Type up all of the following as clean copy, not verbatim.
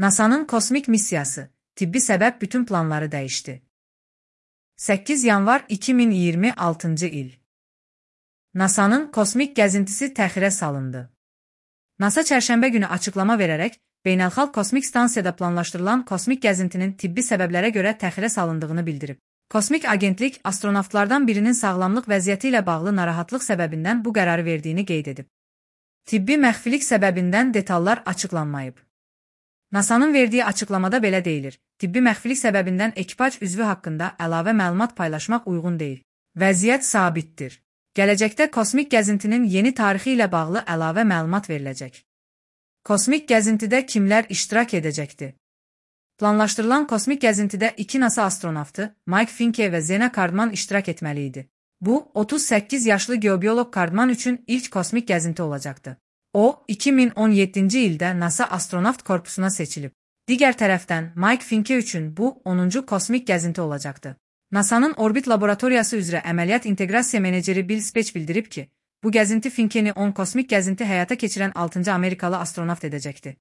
NASA'nın kosmik missiyası, tibbi səbəb bütün planları dəyişdi. 8 yanvar 2026 il. NASA'nın kosmik gəzintisi təxirə salındı. NASA çərşənbə günü açıqlama verərək, beynəlxalq kosmik stansiyada planlaşdırılan kosmik gəzintinin tibbi səbəblərə görə təxirə salındığını bildirib. Kosmik agentlik astronavtlardan birinin sağlamlıq vəziyyəti ilə bağlı narahatlıq səbəbindən bu qərarı verdiyini qeyd edib. Tibbi məxfilik səbəbindən detallar açıqlanmayıb. NASA'nın verdiyi açıqlamada belə deyilir: tibbi məxfilik səbəbindən ekipaj üzvü haqqında əlavə məlumat paylaşmaq uyğun deyil. Vəziyyət sabitdir. Gələcəkdə kosmik gəzintinin yeni tarixi ilə bağlı əlavə məlumat veriləcək. Kosmik gəzintidə kimlər iştirak edəcəkdir? Planlaşdırılan kosmik gəzintidə 2 NASA astronavtı, Mike Finke və Zena Cardman iştirak etməli idi. Bu, 38 yaşlı geobioloq Cardman üçün ilk kosmik gəzinti olacaqdı. O, 2017-ci ildə NASA astronavt korpusuna seçilib. Digər tərəfdən, Mike Finke üçün bu, 10-cu kosmik gəzinti olacaqdı. NASA'nın orbit laboratoriyası üzrə əməliyyat inteqrasiya meneceri Bill Spech bildirib ki, bu gəzinti Finkeni 10 kosmik gəzinti həyata keçirən 6-cı Amerikalı astronavt edəcəkdi.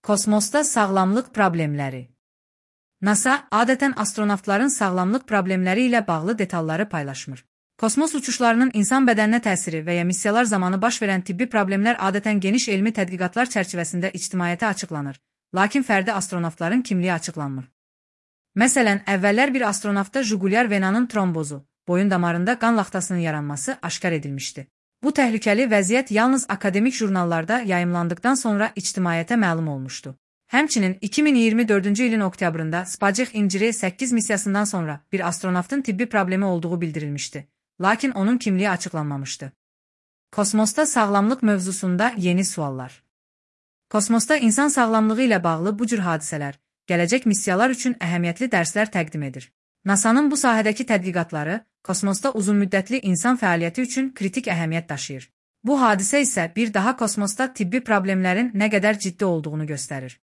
Kosmosda sağlamlıq problemləri. NASA adətən astronavtların sağlamlıq problemləri ilə bağlı detalları paylaşmır. Kosmos uçuşlarının insan bədəninə təsiri və ya missiyalar zamanı baş verən tibbi problemlər adətən geniş elmi tədqiqatlar çərçivəsində ictimaiyyətə açıqlanır, lakin fərdi astronavtların kimliyi açıqlanmır. Məsələn, əvvəllər bir astronavtda jugulyar venanın trombozu, boyun damarında qan laxtasının yaranması aşkar edilmişdi. Bu təhlükəli vəziyyət yalnız akademik jurnallarda yayımlandıqdan sonra ictimaiyyətə məlum olmuşdu. Həmçinin 2024-cü ilin oktyabrında Spacek İnciri 8 missiyasından sonra bir astronavtın tibbi problemi olduğu bildirilmişdi, lakin onun kimliyi açıqlanmamışdı. Kosmosda sağlamlıq mövzusunda yeni suallar. Kosmosda insan sağlamlığı ilə bağlı bu cür hadisələr, gələcək missiyalar üçün əhəmiyyətli dərslər təqdim edir. NASA'nın bu sahədəki tədqiqatları kosmosda uzunmüddətli insan fəaliyyəti üçün kritik əhəmiyyət daşıyır. Bu hadisə isə bir daha kosmosda tibbi problemlərin nə qədər ciddi olduğunu göstərir.